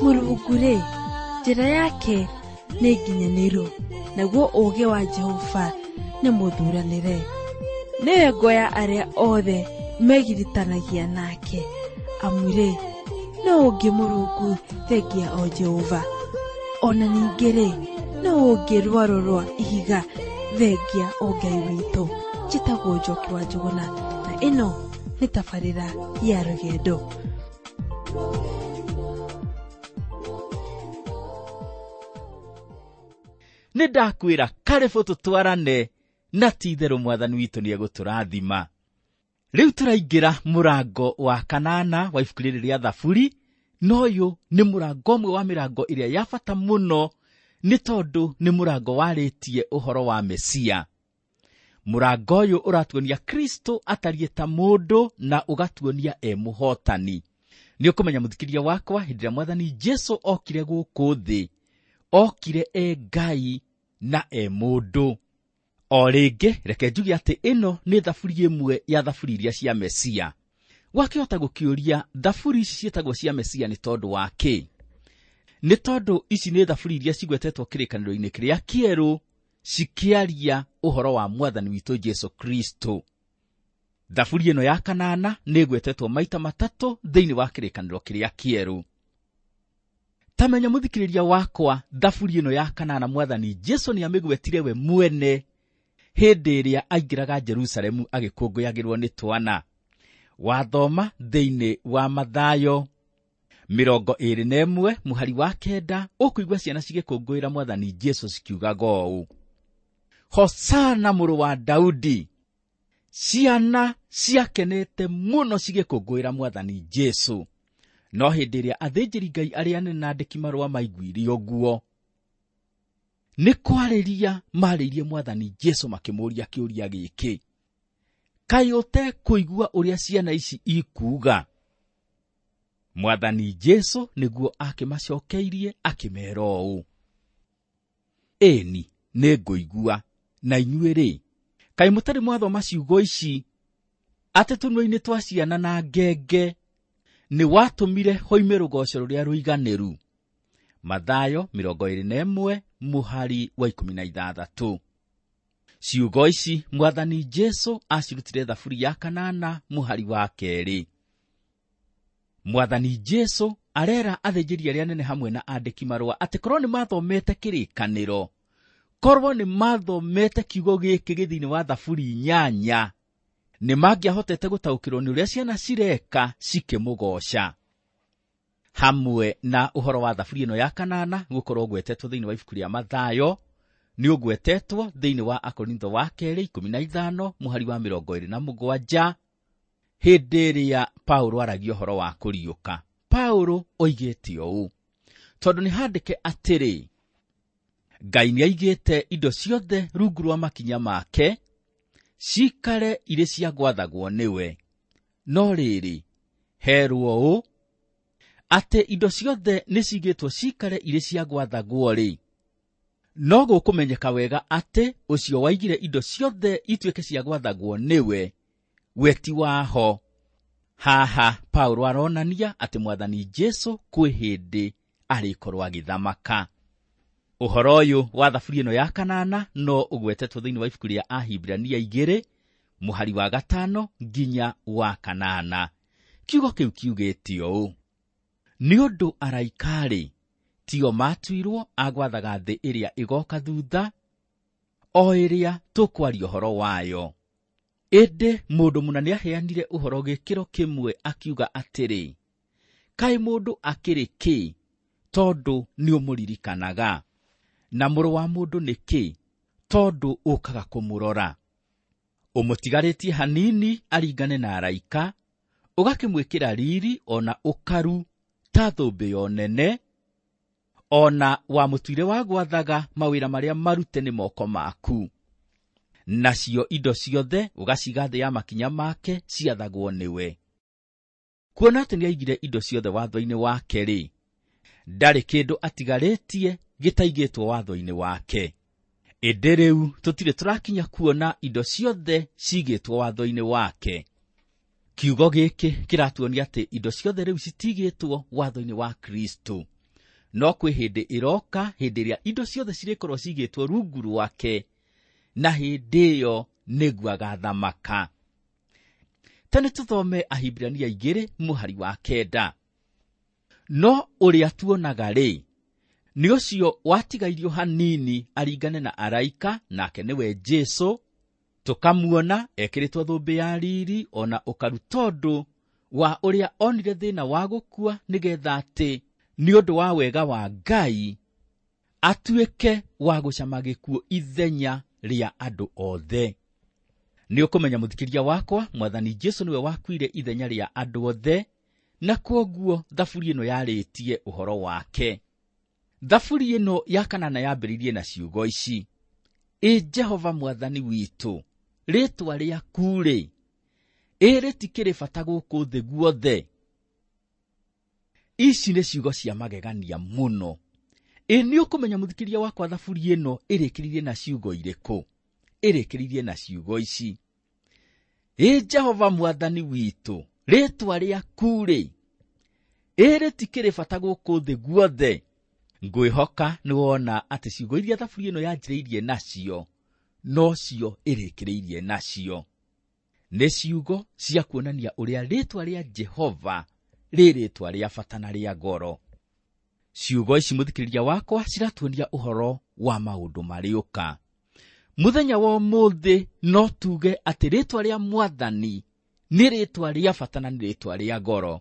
Mũrungu-rĩ, njĩra yake nĩ nginyanĩru, naguo ũũgĩ wa Jehova nĩ mũthuranĩre. Nĩwe ngo ya arĩa othe megiritanagia nake, amu-rĩ, nũ ũngĩ Mũrungu thengia o Jehova? O na ningĩ-rĩ, nũ ũngĩ rwaro rwa ihiga thengia o Ngai witũ? Njĩtagwo Njoki wa Njũgũna, na ĩno nĩ tabarĩra ya rũgendo. Nĩ ndakwĩra karĩbũ tũtwarane na ti itherũ mwathani witũ nĩ egũtũrathima. Rĩu tũraingĩra mũrango wa kanana wa ibuku rĩrĩ rĩa Thaburi, na ũyũ nĩ mũrango ũmwe wa mĩrango ĩrĩa ya bata mũno, nĩ tondũ nĩ mũrango warĩtie ũhoro wa Mesia. Mũrango ũyũ ũratuonia Kristo atariĩ ta mũndũ na ũgatuonia e mũhotani. Nĩ ũkũmenya mũthikĩria wakwa, hĩndĩ ĩrĩa mwathani Jesu okire gũkũ thĩ, okire e Ngai na e mũndũ. O rĩngĩ reke njuge atĩ ĩno nĩ thaburi ĩmwe ya thaburi iria cia Mesia. Wakĩhota gũkĩũria thaburi ici ciĩtagwo cia Mesia nĩ tondũ wa kĩ? Nĩ tondũ ici nĩ thaburi iria cigwetetwo kĩrĩkanĩro-inĩ kĩrĩa kĩerũ cikĩaria ũhoro wa mwathani witũ Jesu Kristo. Thaburi ĩno ya kanana nĩ ĩgwetetwo maita matatũ thĩinĩ wa kĩrĩkanĩro kĩrĩa kĩerũ. Ta menya mũthikĩrĩria wakwa, thaburi ĩno ya kanana mwathani Jesu nĩ amĩgwetire we mwene hĩndĩ ĩrĩa aingĩraga Jerusalemu agĩkũngũyagĩrwo nĩ twana. Wathoma thĩinĩ wa Mathayo 21 mũhari wa 9, ũkũigua ciana cigĩkũngũĩra mwathani Jesu cikiugaga ũũ: Hosana mũrũ wa Daudi. Ciana ciakenete mũno cigĩkũngũĩra mwathani Jesu. No hĩndĩ ĩrĩa athĩnjĩri Ngai arĩa anene na andĩki marũa maiguire ũguo, nĩ kwarĩria marĩirie mwathani Jesu makĩmũũria kĩũria gĩkĩ: kaĩ ũtekũigua ũrĩa ciana ici ikuuga? Mwathani Jesu nĩguo akĩmacokeirie akĩmera ũũ: ĩni, nĩngũigua, na inyuĩ-rĩ, kaĩ mũtarĩ mwathoma ciugo ici, atĩ tũnua-inĩ twa ciana na ngenge nĩ watũmire hoime rũgoco rũrĩa rũiganĩru? Mathayo 21 mũhari wa 16. Ciugo ici mwathani Jesu acirutire thaburi ya kanana mũhari wa 2. Mwathani Jesu arera athĩnjĩri arĩa anene hamwe na andĩki marũa atĩ korwo nĩ mathomete kĩrĩkanĩro, korwo nĩ mathomete kiugo gĩkĩ gĩ thĩinĩ wa thaburi 8, nĩ mangĩahotete gũtaũkĩrwo nĩ ũrĩa ciana cireka cikĩmũgoca. Hamwe na ũhoro wa thaburi ĩno ya kanana gũkorwo ũgwetetwo thĩinĩ wa ibuku rĩa Mathayo, nĩ ũgwetetwo thĩinĩ wa Akorintho wa kerĩ 15 mũhari wa 27, hĩndĩ ĩrĩa Paulo aragia ũhoro wa kũriũka. Paulo oigĩte ũũ: tondũ nĩ handĩke atĩrĩ, Ngai nĩaigĩte indo ciothe rungu rwa makinya make, cikare irĩ cia gwathagwo nĩwe. No rĩrĩ, herwo ũũ, atĩ indo ciothe nĩcigĩtwo cikare irĩ cia gwathagwo-rĩ, no gũkũmenyeka wega atĩ ũcio waigire indo ciothe ituĩke cia gwathagwo nĩwe, we ti waho. Haha Paulo aronania atĩ mwathani Jesu kwĩ hĩndĩ arĩkorwo agĩthamaka. Ũhoro ũyũ wa thaburi ĩno ya kanana no ũgwetetwo thĩinĩ wa ibuku rĩa Ahibirania 2 mũhari wa 5 nginya wa 8. Kiugo kĩu kiugĩte ũũ: nĩ ũndũ araika-rĩ, tio matuirwo a gwathaga thĩ ĩrĩa ĩgoka thutha, o ĩrĩa tũkwaria ũhoro wayo. Ĩndĩ mũndũ mũna nĩaheanire ũhoro gĩkĩro kĩmwe akiuga atĩrĩ, kaĩ mũndũ akĩrĩ kĩ, tondũ nĩũmũririkanaga? Na mũrũ wa mũndũ nĩ kĩ, tondũ ũkaga kũmũrora? Ũmũtigarĩtie hanini aringane na araika, ũgakĩmwĩkĩra riri ona ũkaru ta thũmbĩ ya ũnene, ona wamũtuire wa gwathaga mawĩra marĩa marute nĩ moko maku. Nacio indo ciothe ũgaciga thĩ ya makinya make ciathagwo nĩwe. Kuona atĩ nĩaigire indo ciothe watho-inĩ wake-rĩ, ndarĩ kĩndũ atigarĩtie gĩtaigĩtwo watho-inĩ wake. Ĩndĩ rĩu tũtirĩ tũrakinya kuona indo ciothe cigĩtwo watho-inĩ wake. Kiugo gĩkĩ kĩratuonia atĩ indo ciothe rĩu citigĩtwo watho-inĩ wa Kristo. No kwĩ hĩndĩ ĩroka, hĩndĩ ĩrĩa indo ciothe cirĩkorwo cigĩtwo rungu rwake, na hĩndĩ ĩyo nĩguo agathamaka. Ta nĩ tũthome Ahibirania 2 mũhari wa 9. No ũrĩa tuonaga rĩ, nĩ ũcio watigairio hanini aringane na araika, nake nĩwe Jesũ, tũkamuona ekĩrĩtwo thũmbĩ ya riri ona ũkaru tondũ wa ũrĩa onire thĩna wa gũkua, nĩgetha atĩ nĩ ũndũ wa wega wa Ngai atuĩke wa gũcama gĩkuũ ithenya rĩa andũ othe. Nĩ ũkũmenya mũthikĩria wakwa, Mwathani Jesũ nĩwe wakuire ithenya rĩa andũ othe, na kwoguo thaburi ĩno yarĩtie ũhoro wake. Thaburi ĩno ya 8 yambĩrĩirie na ciugo ici: Ĩ Jehova Mwathani witũ, rĩĩtwa rĩaku rĩ, ĩ rĩtikĩrĩ bata gũkũ thĩ guothe. Ici nĩ ciugo cia magegania mũno. Ĩ nĩ ũkũmenya mũthikĩria wakwa thaburi ĩno ĩrĩkĩrĩirie na ciugo irĩkũ? Ĩrĩkĩrĩirie na ciugo ici: Ĩ Jehova Mwathani witũ, rĩĩtwa rĩaku rĩ, ĩ rĩtikĩrĩ bata gũkũ thĩ guothe. Ngwĩhoka nĩ wona atĩ ciugo iria thaburi ĩno yanjĩrĩirie nacio nocio ĩrĩkĩrĩirie nacio. Nĩ ciugo cia kuonania ũrĩa rĩĩtwa rĩa Jehova rĩ rĩĩtwa rĩa bata na rĩa goro. Ciugo ici mũthikĩrĩria wakwa ciratuonia ũhoro wa maũndũ marĩũka. Mũthenya wa ũmũthĩ no tuge atĩ rĩĩtwa rĩa Mwathani nĩ rĩĩtwa rĩa bata na nĩ rĩĩtwa rĩa goro.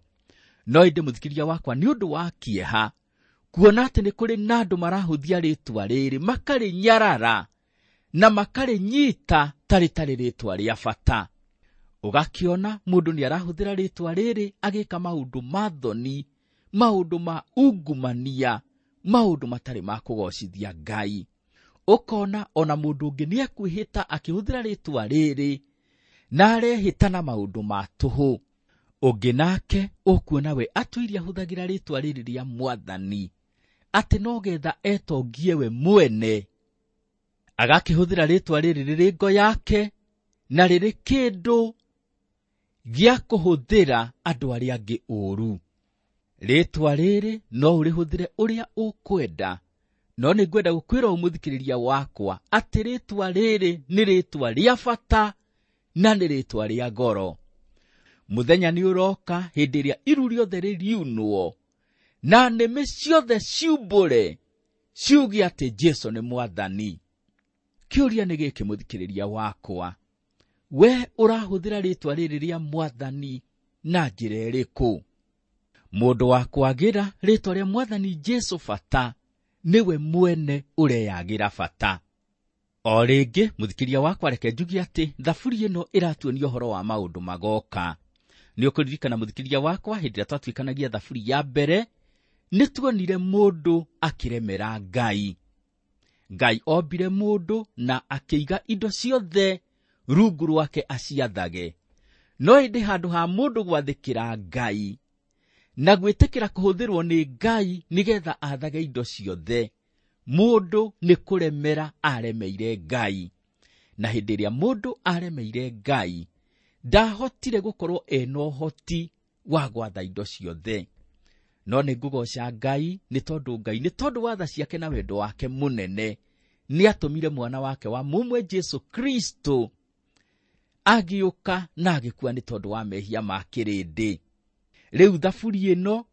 No ĩndĩ mũthikĩrĩria wakwa, nĩ ũndũ wa kĩeha kuona atĩ nĩ kũrĩ na andũ marahũthia rĩĩtwa rĩrĩ, makarĩnyarara na makarĩnyita ta rĩtarĩ rĩĩtwa rĩa bata. Ũgakĩona mũndũ nĩ arahũthĩra rĩĩtwa rĩrĩ agĩka maũndũ ma thoni, maũndũ ma ungumania, maũndũ matarĩ ma kũgocithia Ngai. Ũkona ona mũndũ ũngĩ nĩ ekwĩhĩta akĩhũthĩra rĩĩtwa rĩrĩ na arehĩta na maũndũ ma tũhũ. Ũngĩ nake ũkuona we atũirie ahũthagĩra rĩĩtwa rĩrĩ rĩa Mwathani atĩ no getha etongie we mwene, agakĩhũthĩra rĩĩtwa rĩrĩ rĩrĩ ngo yake na rĩrĩ kĩndũ gĩa kũhũthĩra andũ arĩa angĩ ũũru. Rĩĩtwa rĩrĩ no ũrĩhũthĩre ũrĩa ũkwenda, no nĩ ngwenda gũkwĩra ũmũthikĩrĩria wakwa atĩ rĩĩtwa rĩrĩ nĩ rĩĩtwa rĩa bata na nĩ rĩĩtwa rĩa goro. Mũthenya nĩ ũroka hĩndĩ ĩrĩa iru rĩothe rĩriunwo na nĩmĩ ciothe ciumbũre ciuge atĩ Jesũ nĩ Mwathani. Kĩũria nĩ gĩkĩ mũthikĩrĩria wakwa, we ũrahũthĩra rĩĩtwa rĩrĩ rĩa Mwathani na njĩra ĩrĩkũ? Mũndũ wa kwagĩra rĩĩtwa rĩa Mwathani Jesũ bata nĩwe mwene ũreyagĩra bata. O rĩngĩ mũthikĩria wakwa, reke njuge atĩ thaburi ĩno ĩratuonia ũhoro wa maũndũ magoka. Nĩ ũkũririkana mũthikĩria wakwa, hĩndĩ ĩrĩa twatuĩkanagia thaburi ya mbere, nĩ tuonire mũndũ akĩremera Ngai. Ngai ombire mũndũ na akĩiga indo ciothe rungu rwake aciathage. No ĩndĩ handũ ha mũndũ gwathĩkĩra Ngai na gwĩtĩkĩra kũhũthĩrwo nĩ Ngai nĩgetha athage indo ciothe, mũndũ nĩ kũremera aremeire Ngai. Na hĩndĩ ĩrĩa mũndũ aremeire Ngai, ndahotire gũkorwo ena ũhoti wa gwatha indo ciothe. No nĩ ngũgoca Ngai nĩ tondũ Ngai nĩ tondũ wa tha ciake na wendo wake mũnene nĩ atũmire mwana wake wa mũmwe Jesũ Kristo agĩũka na agĩkua nĩ tondũ wa mehia ma kĩrĩndĩ. Rĩu thaburi ĩno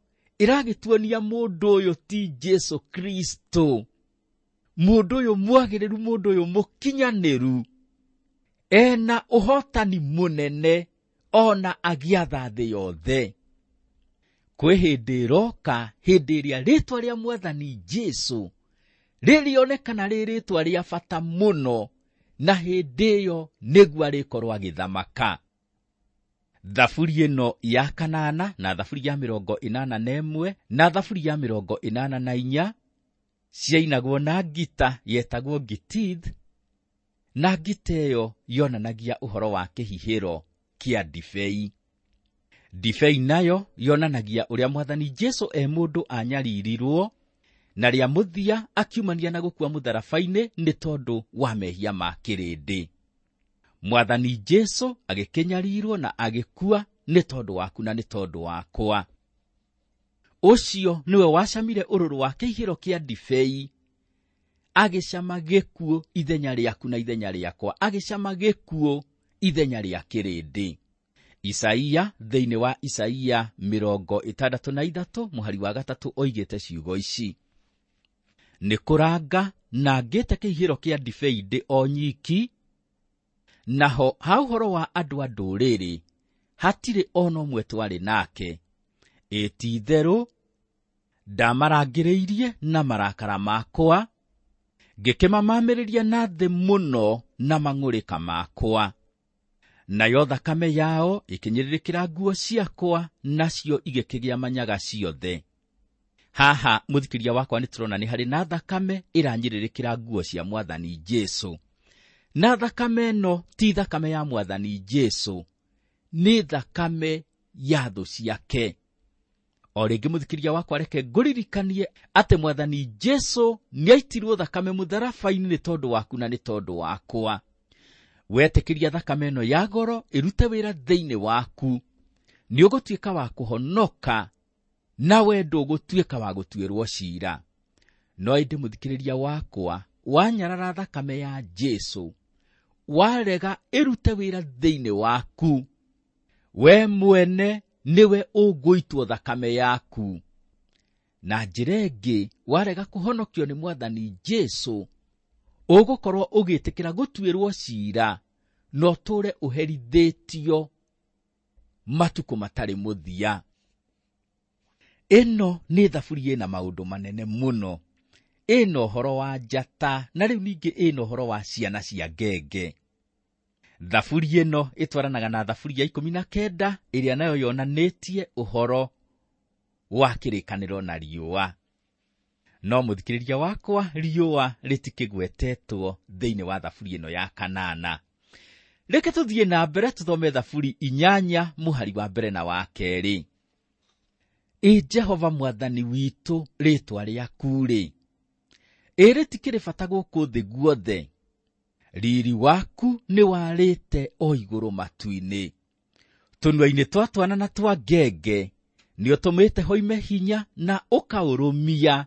ĩragĩtuonia mũndũ ũyũ ti Jesũ Kristo, mũndũ ũyũ mwagĩrĩru, mũndũ ũyũ mũkinyanĩru, ena ũhotani mũnene ona agĩatha thĩ yothe. Kwĩ hĩndĩ ĩroka, hĩndĩ ĩrĩa rĩĩtwa rĩa Mwathani Jesũ rĩrĩonekana rĩ rĩĩtwa rĩa bata mũno, na hĩndĩ ĩyo nĩguo arĩkorwo agĩthamaka. Thaburi ĩno ya 8 na thaburi ya 81 na thaburi ya 84 ciainagwo na ngita yetagwo gitith, na ngita ĩyo yonanagia ũhoro wa kĩhihĩro kĩa ndibei. Ndibei nayo yonanagia ũrĩa Mwathani Jesũ e mũndũ anyaririrwo na rĩa mũthia akiumania na gũkua mũtharaba-inĩ nĩ tondũ wa mehia ma kĩrĩndĩ. Mwathani Jesũ agĩkĩnyarirwo na agĩkua nĩ tondũ waku na nĩ tondũ wakwa. Ũcio nĩwe wacamire ũrũrũ wa kĩihĩro kĩa ndibei, agĩcama gĩkuũ ithenya rĩaku na ithenya rĩakwa, agĩcama gĩkuũ ithenya rĩa kĩrĩndĩ. Isaia thĩinĩ wa Isaia 63 mũhari wa 3 oigĩte ciugo ici: nĩ kũranga na ngĩte kĩihĩro kĩa ndibei ndĩ o nyiki, naho ha ũhoro wa andũ a ndũrĩrĩ hatirĩ ona ũmwe twarĩ nake. Ĩ ti-itherũ ndamarangĩrĩirie na marakara makwa, ngĩkĩmamamĩrĩria na thĩ mũno na mang'ũrĩka makwa. Nayo thakame yao ĩkĩnyĩrĩrĩkĩra nguo ciakwa, nacio igĩkĩgĩa manyaga ciothe. Haha mũthikĩria wakwa nĩ tũrona nĩ harĩ na thakame ĩranyĩrĩrĩkĩra nguo cia Mwathani Jesũ. Na thakame ĩno ti thakame ya Mwathani Jesũ, nĩ thakame ya thũ ciake. O rĩngĩ mũthikĩria wakwa, reke ngũririkanie atĩ Mwathani Jesũ nĩaitirwo thakame mũtharaba-inĩ nĩ tondũ waku na nĩ tondũ wakwa. Wetĩkĩria thakame ĩno ya goro ĩrute wĩra thĩinĩ waku, nĩ ũgũtuĩka wa kũhonoka, nawe ndũgũtuĩka wa gũtuĩrwo ciira. No ĩndĩ mũthikĩrĩria wakwa, wanyarara thakame ya Jesũ, warega ĩrute wĩra thĩinĩ waku, we mwene nĩwe ũgũitwo thakame yaku. Na njĩra ĩngĩ, warega kũhonokio nĩ Mwathani Jesũ, ũgũkorwo ũgĩtĩkĩra gũtuĩrwo ciira, na ũtũũre ũherithĩtio matukũ matarĩ mũthia. Ĩno nĩ thaburi ĩna maũndũ manene mũno. Ĩna ũhoro wa njata, na rĩu ningĩ ĩna ũhoro wa ciana cia ngenge. Thaburi ĩno ĩtwaranaga na thaburi ya 19 ĩrĩa nayo yonanĩtie ũhoro wa kĩrĩkanĩro na riũa. No mũthikĩrĩria wakwa, riũa rĩtikĩgwetetwo thĩinĩ wa thaburi ĩno ya 8. Reke tũthiĩ na mbere tũthome thaburi 8 mũhari wa mbere na wa 2. Ĩ Jehova Mwathani witũ, rĩĩtwa rĩaku-rĩ, ĩ rĩtikĩrĩ bata gũkũ thĩ guothe. Riri waku nĩwarĩte o igũrũ matu-inĩ. Tũnua-inĩ twa twana na twa ngenge nĩũtũmĩte hoime hinya na ũkaũrũmia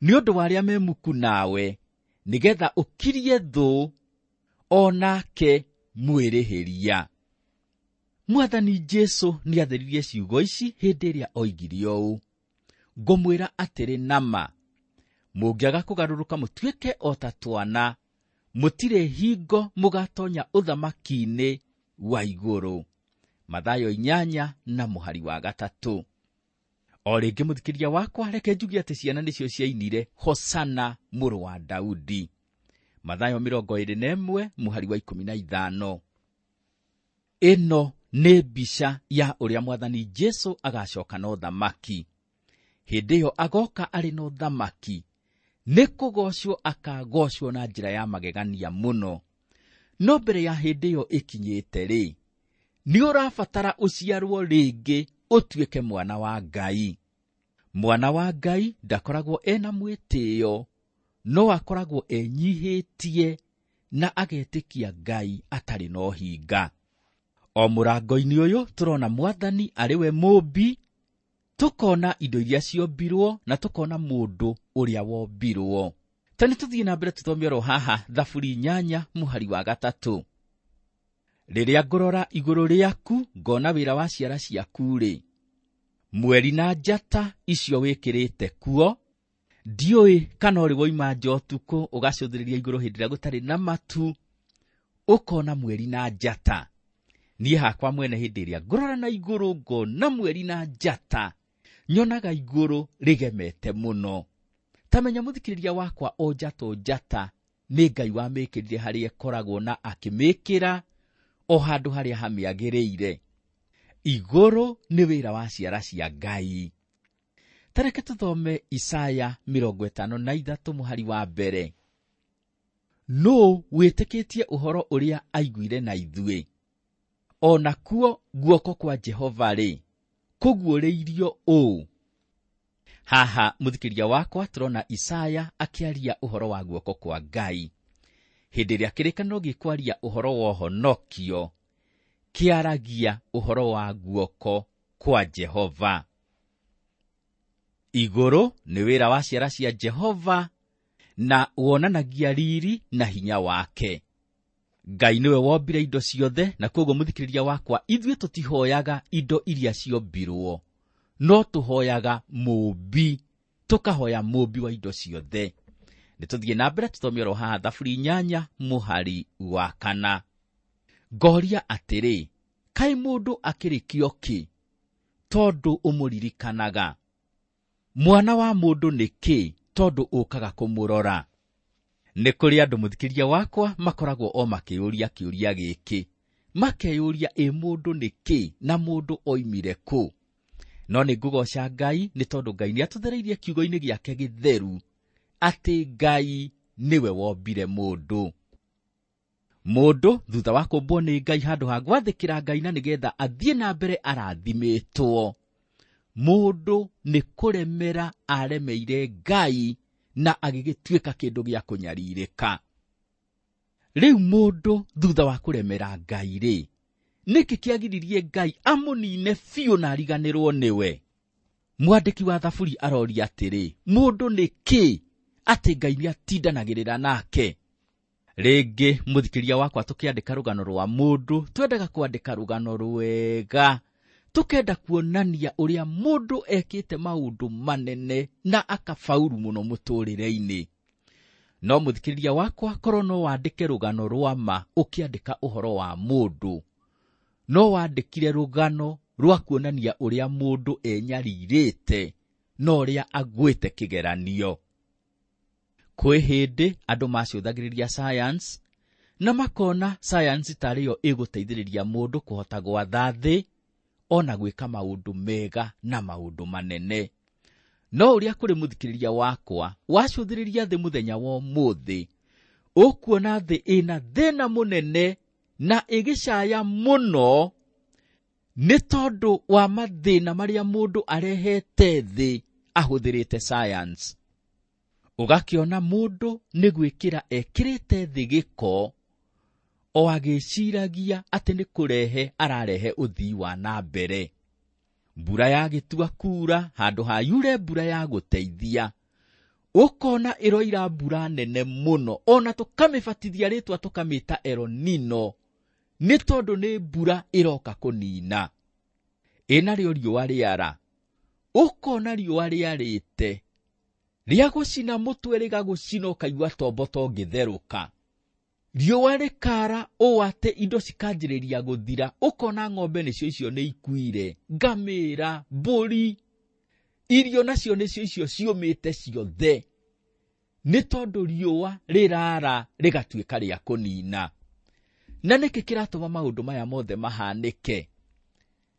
nĩ ũndũ wa arĩa me muku nawe, nĩgetha ũkirie thũ o nake mwĩrĩhĩria. Mwathani Jesũ nĩatheririe ciugo ici hĩndĩ ĩrĩa oigire ũũ: ngũmwĩra atĩrĩ nama, mũngĩaga kũgarũrũka mũtuĩke o ta twana, mũtirĩ hingo mũgatonya ũthamaki-inĩ wa igũrũ. Mathayo 8 na mũhari wa 3. O rĩngĩ mũthikĩria wakwa, reke njuge atĩ ciana nĩcio ciainire Hosana mũrũ wa Daudi. Mathayo 21 mũhari wa 15. Ĩno nĩ mbica ya ũrĩa Mwathani Jesũ agacoka na ũthamaki. Hĩndĩ ĩyo agoka arĩ na ũthamaki, nĩ kũgocwo akagocwo na njĩra ya magegania mũno. No mbere ya hĩndĩ ĩyo ĩkinyĩte rĩ, nĩ ũrabatara ũciarwo rĩngĩ ũtuĩke mwana wa Ngai. Mwana wa Ngai ndakoragwo ena mwĩtĩo, no akoragwo enyihĩtie na agetĩkia Ngai atarĩ na ũhinga. O mũrango-inĩ ũyũ tũrona Mwathani arĩ we mũũmbi, tũkona indo iria ciombirwo na tũkona mũndũ ũrĩa wombirwo. Ta nĩ tũthiĩ na mbere tũthome oro haha thaburi 8 mũhari wa 3. Rĩrĩa ngũrora igũrũ rĩaku ngona wĩra wa ciara ciaku-rĩ, mweri na njata icio wĩkĩrĩte kuo, ndiũĩ kana ũrĩ woima nja ũtukũ ũgacũthĩrĩria igũrũ hĩndĩ ĩrĩa gũtarĩ na matu, ũkona mweri na njata. Niĩ hakwa mwene hĩndĩ ĩrĩa ngũrora na igũrũ ngona mweri na njata, nyonaga igũrũ rĩgemete mũno. Ta menya mũthikĩrĩria wakwa, o njata o njata nĩ Ngai wamĩkĩrire harĩa ĩkoragwo na akĩmĩkĩra o handũ harĩa hamĩagĩrĩire. Igũrũ nĩ wĩra wa ciara cia Ngai. Ta reke tũthome Isaya 53 mũhari wa 1. Nũũ wĩtĩkĩtie ũhoro ũrĩa aiguire na ithuĩ? O nakuo guoko kwa Jehova-rĩ, kũguũrĩirio ũũ. Haha mũthikĩria wakwa tũrona Isaya akĩaria ũhoro wa guoko kwa Ngai. Hĩndĩ ĩrĩa kĩrĩkanĩro gĩkwaria ũhoro wa ũhonokio, kĩaragia ũhoro wa guoko kwa Jehova. Igũrũ nĩ wĩra wa ciara cia Jehova na wonanagia riri na hinya wake. Ngai nĩwe wombire indo ciothe, na koguo mũthikĩrĩria wakwa, ithuĩ tũtihoyaga indo iria ciombirwo, no tũhoyaga mũũmbi, tũkahoya mũũmbi wa indo ciothe. Nĩ tũthiĩ na mbere tũthome oro haha Thaburi 8 mũhari wa 4. Ngoria atĩrĩ, kaĩ mũndũ akĩrĩ kĩo kĩ tondũ ũmũririkanaga? Mwana wa mũndũ nĩ kĩ tondũ ũkaga kũmũrora? Nĩ kũrĩ andũ mũthikĩrĩria wakwa makoragwo o makĩyũria kĩũria gĩkĩ, makeyũria ĩ mũndũ nĩ kĩ na mũndũ oimire kũ? No nĩ ngũgoca Ngai nĩ tondũ Ngai nĩ atũthereirie kiugo-inĩ gĩake gĩtheru atĩ Ngai nĩwe wombire mũndũ. Mũndũ thutha wa kũmbwo nĩ Ngai handũ ha gwathĩkĩra Ngai na nĩgetha athiĩ na mbere arathimĩtwo, mũndũ nĩ kũremera aremeire Ngai na agĩgĩtuĩka kĩndũ gĩa kũnyarirĩka. Rĩu mũndũ thutha wa kũremera Ngai rĩ, nĩkĩ kĩagiririe Ngai amũnine biũ na ariganĩrwo nĩwe? Mwandĩki wa Thaburi aroria atĩrĩ, mũndũ nĩ kĩ atĩ Ngai nĩatindanagĩrĩra nake? Rĩngĩ mũthikĩria wakwa, tũkĩandĩka rũgano rwa mũndũ twendaga kwandĩka rũgano rwega, tũkenda kuonania ũrĩa mũndũ ekĩte maũndũ manene na akabauru mũno mũtũrĩre-inĩ. No mũthikĩrĩria wakwa, korwo no wandĩke rũgano rwa ma ũkĩandĩka ũhoro wa mũndũ, no wandĩkire rũgano rwa kuonania ũrĩa mũndũ enyarirĩte na ũrĩa agwĩte kĩgeranio. Kwĩ hĩndĩ andũ macũthagĩrĩria science na makona science tarĩ yo ĩgũteithĩrĩria mũndũ kũhota gwatha thĩ ona gwĩka maũndũ mega na maũndũ manene. No ũrĩa kũrĩ mũthikĩrĩria wakwa, wacũthĩrĩria thĩ mũthenya wa ũmũthĩ, ũkuona thĩ ĩna thĩna mũnene na ĩgĩcaya mũno nĩ tondũ wa mathĩna marĩa mũndũ arehete thĩ ahũthĩrĩte science. Ũgakĩona mũndũ nĩ gwĩkĩra ekĩrĩte thĩ gĩko o agĩciragia atĩ nĩ kũrehe ararehe ũthii wa na mbere. Mbura yagĩtua kura handũ ha yure mbura ya gũteithia, ũkona ĩroira mbura nene mũno, ona tũkamĩbatithia rĩtwa tũkamĩta El Nino nĩ tondũ nĩ mbura ĩroka kũnina. Ĩnarĩo riũa rĩara, ũkona riũa rĩarĩte rĩa gũcina mũtwe rĩgagũcina ũkaigua tombo tongĩtherũka. Riũa rĩkara ũũ atĩ indo cikanjĩrĩria gũthira, ũkona ng'ombe nĩcio icio nĩ ikuire, ngamĩra, mbũri, irio nacio nĩcio icio ciũmĩte ciothe nĩ tondũ riũa rĩrara rĩgatuĩka rĩa kũnina. Na nĩkĩ kĩratũma maũndũ maya mothe mahanĩke?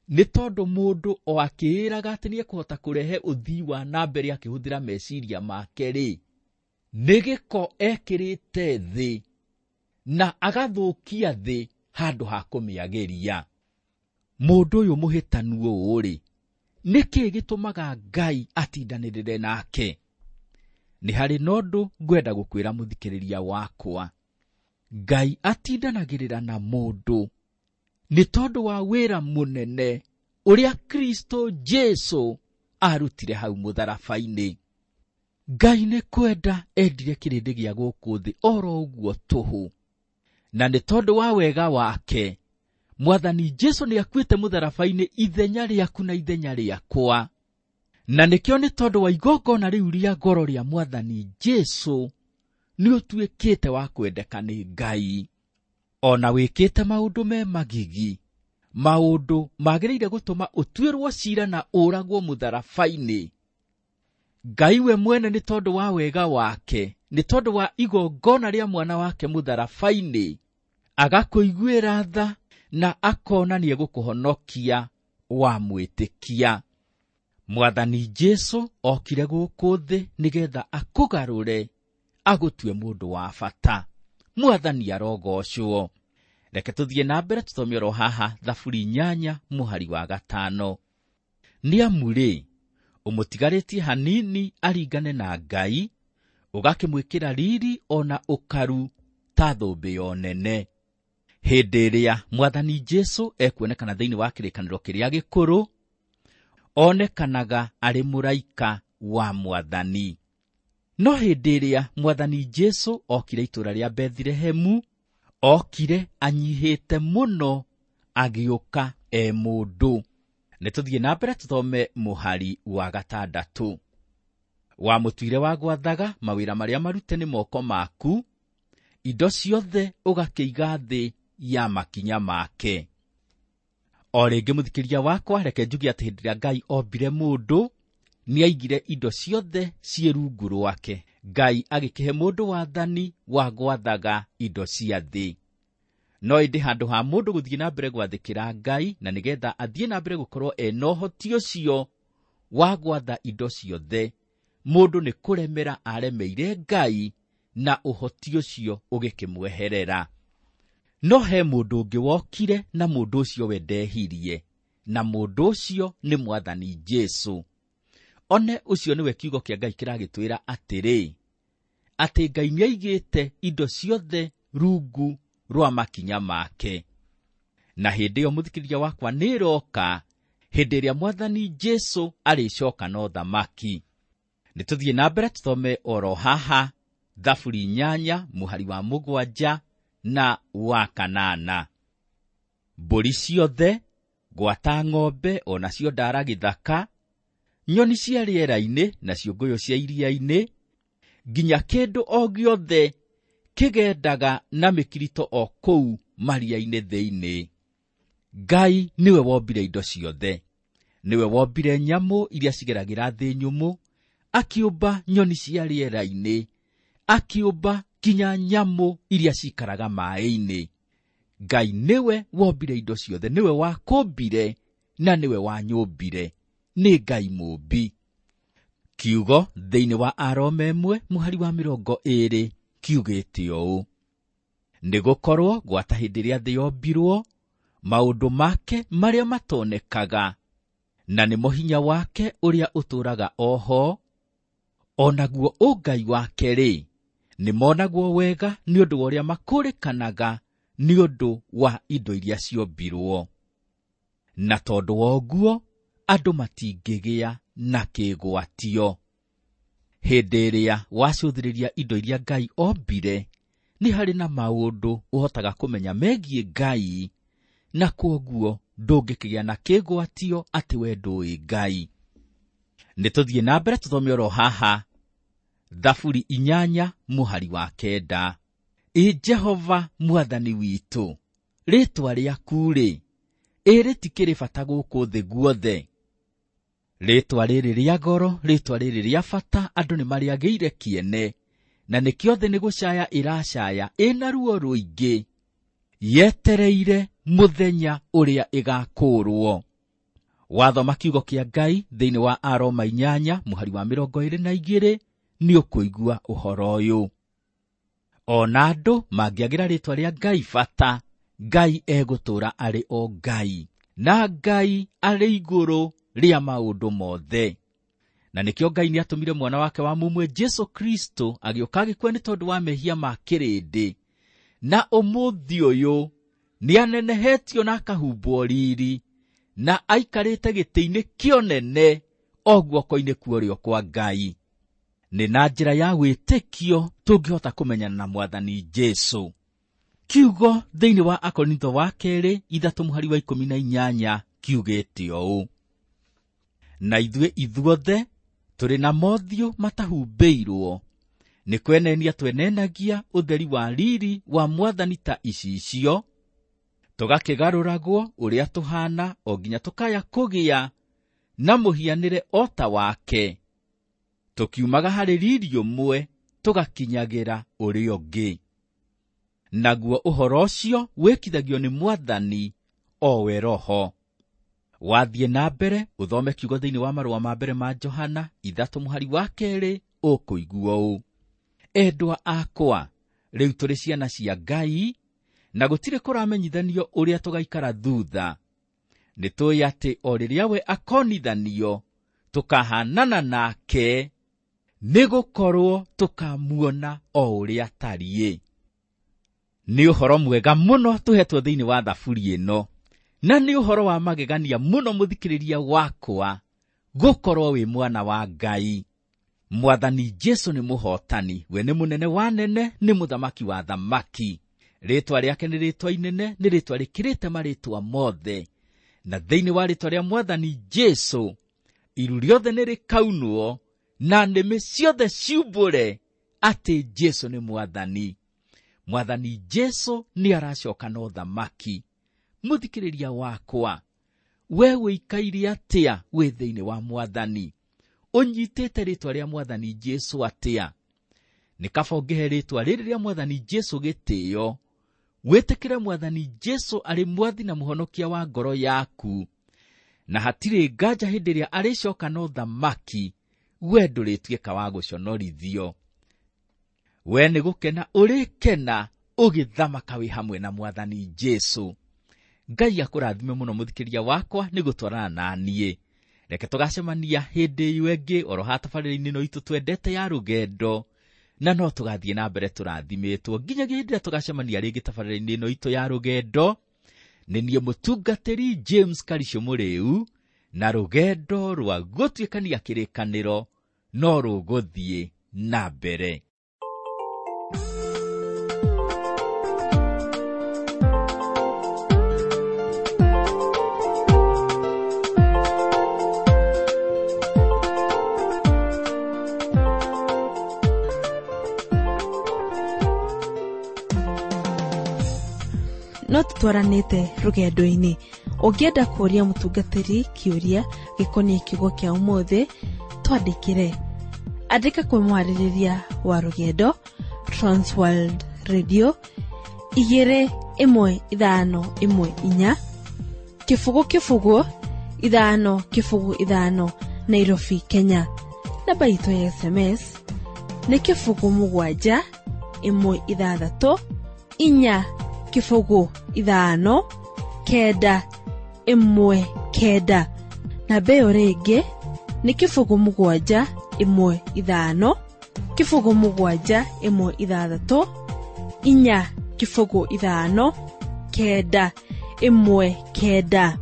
Nĩ tondũ mũndũ o akĩĩraga atĩ nĩekũhota kũrehe ũthii wa na mbere akĩhũthĩra meciria make rĩ, nĩ gĩko ekĩrĩte thĩ na agathũkia thĩ handũ ha kũmĩagĩria. Mũndũ ũyũ mũhĩtanu ũũ rĩ, nĩkĩ gĩtũmaga Ngai atindanĩrĩre nake? Nĩ harĩ na ũndũ ngwenda gũkwĩra mũthikĩrĩria wakwa. Ngai atindanagĩrĩra na mũndũ nĩ tondũ wa wĩra mũnene ũrĩa Kristo Jesu arutire hau mũtharaba-inĩ. Ngai nĩ kwenda endire kĩrĩndĩ gĩa gũkũ thĩ oro ũguo tũhũ, na nĩ tondũ wa wega wake Mwathani Jesu nĩ akuĩte mũtharaba-inĩ ithenya rĩaku na ithenya rĩakwa. Na nĩkĩo nĩ tondũ wa igongona rĩu rĩa goro rĩa Mwathani Jesu nĩ ũtuĩkĩte wa kwendeka nĩ Ngai. Ona wĩkĩte maũndũ me magigi, maũndũ magĩrĩire gũtũma ũtuĩrwo cira na ũragwo mũtharaba-inĩ, Ngai we mwene nĩ tondũ wa wega wake, nĩ tondũ wa igongona rĩa mwana wake mũtharaba-inĩ, agakũiguĩra tha na akona nĩegũkũhonokia wamwĩtĩkia. Mwathani Jesu okire gũkũ thĩ nĩgetha akũgarũre agũtue mũndũ wa bata. Mwathani arogocwo. Reke tũthiĩ na mbere tũthome oro haha Thaburi 8 mũhari wa 5. Nĩ amu rĩ, ũmũtigarĩtie hanini aringane na Ngai, ũgakĩmwĩkĩra riri ona ũkaru ta thũmbĩ ya ũnene. Hĩndĩ ĩrĩa Mwathani Jesu ekuonekana thĩinĩ wa kĩrĩkanĩro kĩrĩa gĩkũrũ, onekanaga arĩ mũraika wa Mwathani. No hĩndĩ ĩrĩa Mwathani Jesu okire itũũra rĩa Bethilehemu, okire anyihĩte mũno, agĩũka e mũndũ. Nĩ tũthiĩ na mbere tũthome mũhari wa 6. Wamũtuire wa gwathaga mawĩra marĩa marute nĩ moko maku, indo ciothe ũgakĩiga thĩ ya makinya make. O rĩngĩ mũthikĩria wakwa, reke njuge atĩ hĩndĩ ĩrĩa Ngai ombire mũndũ, nĩaigire indo ciothe ciĩ rungu rwake. Ngai agĩkĩhe mũndũ wathani wa gwathaga indo cia thĩ. No ĩndĩ handũ ha mũndũ gũthiĩ na mbere gwathĩkĩra Ngai, na nĩgetha athiĩ na mbere gũkorwo ena ũhoti ũcio wa gwatha indo ciothe, mũndũ nĩ kũremera aremeire Ngai, na ũhoti ũcio ũgĩkĩmweherera. No he mũndũ ũngĩ wokire, na mũndũ ũcio we ndehirie, na mũndũ ũcio nĩ Mwathani Jesu. One ũcio nĩwe kiugo kĩa Ngai kĩragĩtwĩra atĩrĩ, atĩ Ngai nĩaigĩte indo ciothe rungu rwa makinya make. Na hĩndĩ ĩyo mũthikĩrĩria wakwa nĩĩroka, hĩndĩ ĩrĩa Mwathani Jesu arĩcoka na ũthamaki. Nĩ tũthiĩ na mbere tũthome oro haha Thaburi 8 mũhari wa 7 na wa 8. Mbũri ciothe, gwata ng'ombe o nacio ndara gĩthaka, nyoni cia rĩera-inĩ na ciũngũyũ cia iria-inĩ, nginya kĩndũ o gĩothe kĩgendaga na mĩkirito o kũu maria-inĩ thĩinĩ. Ngai nĩwe wombire indo ciothe, nĩwe wombire nyamũ iria cigeragĩra thĩ nyũmũ, akĩũmba nyoni cia rĩera-inĩ, akĩũmba nginya nyamũ iria cikaraga maĩ-inĩ. Ngai nĩwe wombire indo ciothe, nĩwe wakũmbire na nĩwe wanyũmbire. Nĩ Ngai mũũmbi. Kiugo thĩinĩ wa Aroma 1 mũhari wa 20 kiugĩte ũũ: nĩgũkorwo gwata hĩndĩ ĩrĩa thĩ yombirwo, maũndũ make marĩa matonekaga, na nĩmo hinya wake ũrĩa ũtũũraga oho, o naguo ũngai wake-rĩ, nĩmonagwo wega nĩ ũndũ wa ũrĩa makũrĩkanaga nĩ ũndũ wa indo iria ciombirwo. Na tondũ wa ũguo andũ matingĩgĩa na kĩgwatio. Hĩndĩ ĩrĩa wacũthĩrĩria indo iria Ngai ombire, nĩ harĩ na maũndũ ũhotaga kũmenya megiĩ Ngai, na kwoguo ndũngĩkĩgĩa na kĩgwatio atĩ we ndũĩ Ngai. Nĩ tũthiĩ na mbere tũthome oro haha Thaburi 8 mũhari wa 9. Ĩ Jehova Mwathani witũ, rĩĩtwa rĩaku-rĩ, ĩ rĩtikĩrĩ bata gũkũ thĩ guothe. Rĩĩtwa rĩrĩ rĩa goro, rĩĩtwa rĩrĩ rĩa bata, andũ nĩmarĩagĩire kĩene, na nĩkĩo thĩ nĩ gũcaya ĩracaya ĩna ruo rũingĩ, yetereire mũthenya ũrĩa ĩgakũũrwo. Wathoma kiugo kĩa Ngai thĩinĩ wa Aroma 8 mũhari wa 22 nĩ ũkũigua ũhoro ũyũ. Ona andũ mangĩagĩra rĩĩtwa rĩa Ngai bata, Ngai egũtũũra arĩ o Ngai, na Ngai arĩ igũrũ rĩa maũndũ mothe. Na nĩkĩo Ngai nĩatũmire mwana wake wa mũmwe Jesu Kristo agĩũka agĩkua nĩ tondũ wa mehia ma kĩrĩndĩ, na ũmũthĩ ũyũ nĩanenehetio na akahumbwo riri, na aikarĩte gĩtĩ-inĩ kĩonene o guoko-inĩ kwa ũrĩo kwa Ngai. Nĩ na njĩra ya wĩtĩkio tũngĩhota kũmenyana na Mwathani Jesu. Kiugo thĩinĩ wa Akorintho wa 2 3 mũhari wa 18 kiugĩte ũũ: na ithuĩ ithuothe tũrĩ na mothiũ matahumbĩirwo, nĩ kwenenia twenenagia ũtheri wa riri wa Mwathani ta icicio, tũgakĩgarũragwo ũrĩa tũhaana o nginya tũkaya kũgĩa na mũhianĩre o ta wake, tũkiumaga harĩ riri ũmwe tũgakinyagĩra ũrĩa ũngĩ. Naguo ũhoro ũcio wĩkithagio nĩ Mwathani o we Roho. Wathiĩ na mbere ũthome kiugo thĩinĩ wa marũa ma mbere ma Johana 3 mũhari wa 2 ũkũigua ũũ: endwa akwa, rĩu tũrĩ ciana cia Ngai, na gũtirĩ kũramenyithanio ũrĩa tũgaikara thutha. Nĩ tũĩ atĩ o rĩrĩa we akonithanio, tũkahaanana nake, nĩgũkorwo tũkamuona o ũrĩa atariĩ. Nĩ ũhoro mwega mũno tũhetwo thĩinĩ wa thaburi ĩno, na nĩ ũhoro wa magegania mũno mũthikĩrĩria wakwa gũkorwo wĩ mwana wa Ngai. Mwathani Jesu nĩ mũhotani, we nĩ mũnene wa nene, nĩ mũthamaki wa thamaki. Rĩtwa rĩake nĩ rĩtwa inene, nĩ rĩtwa rĩkĩrĩte marĩtwa mothe. Na thĩinĩ wa rĩtwa rĩa Mwathani Jesu, iru rĩothe nĩ rĩkaunwo na nĩmĩ ciothe ciumbũre atĩ Jesu nĩ Mwathani. Mwathani Jesu nĩ aracoka na ũthamaki. Mũthikĩrĩria wakwa, we wĩikaire atĩa wĩ thĩinĩ wa Mwathani? Ũnyitĩte rĩtwa rĩa Mwathani Jesu atĩa? Nĩ kaba ũngĩhe rĩtwa rĩrĩ rĩa Mwathani Jesu gĩtĩo, wĩtĩkĩre Mwathani Jesu arĩ mwathi na mũhonokia wa ngoro yaku, na hatirĩ nganja hĩndĩ ĩrĩa arĩcoka na ũthamaki, we ndũrĩtuĩka wa gũconorithio. We nĩ gũkena ũrĩkena ũgĩthamaka wĩ hamwe na Mwathani Jesu. Ngai akũrathime mũno mũthikĩria wakwa nĩ gũtwarana na niĩ. Reke tũgacemania hĩndĩ ĩyo ĩngĩ oro haha tabarĩra-inĩ ĩno itũ twendete ya rũgendo, na no tũgathiĩ na mbere tũrathimĩtwo nginyagia hĩndĩ ĩrĩa tũgacemania rĩngĩ tabarĩra-inĩ ĩno itũ ya rũgendo. Nĩ niĩ mũtungatĩri James Karisho Mũrĩu, na rũgendo rwa gũtuĩkania kĩrĩkanĩro no rũgũthiĩ na mbere. No tũtwaranĩte rũgendo-inĩ. Ũngĩenda kũũria mũtungatĩri kĩũria gĩkoniĩ kiugo kĩa ũmũthĩ, twandĩkĩre. Andĩka kwĩ mwarĩrĩria wa rũgendo, Transworld Radio 21514 0 0 5 0 5 Nairobi, Kenya. Namba itũ ya SMS nĩ 0 7 1 6 4 0 5 9 1 9. Namba ĩyo rĩngĩ nĩ 0 7 1 5 0 7 1 6 4 0 5 9 1 9.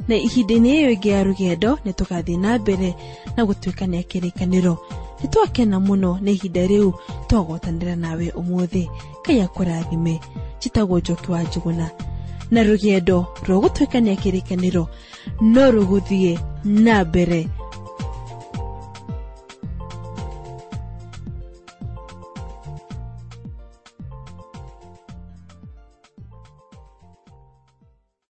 Na ihinda-inĩ ĩyo ĩngĩ ya rũgendo nĩ tũgathiĩ na mbere na gũtuĩkania kĩrĩkanĩro. Nĩ twakena mũno nĩ ihinda rĩu twagwatanĩra nawe ũmũthĩ. Ngai akũrathime. Njĩtagwo Njoki wa Njũgũna, na rũgendo rwa gũtuĩkania kĩrĩkanĩro no rũgũthiĩ na mbere.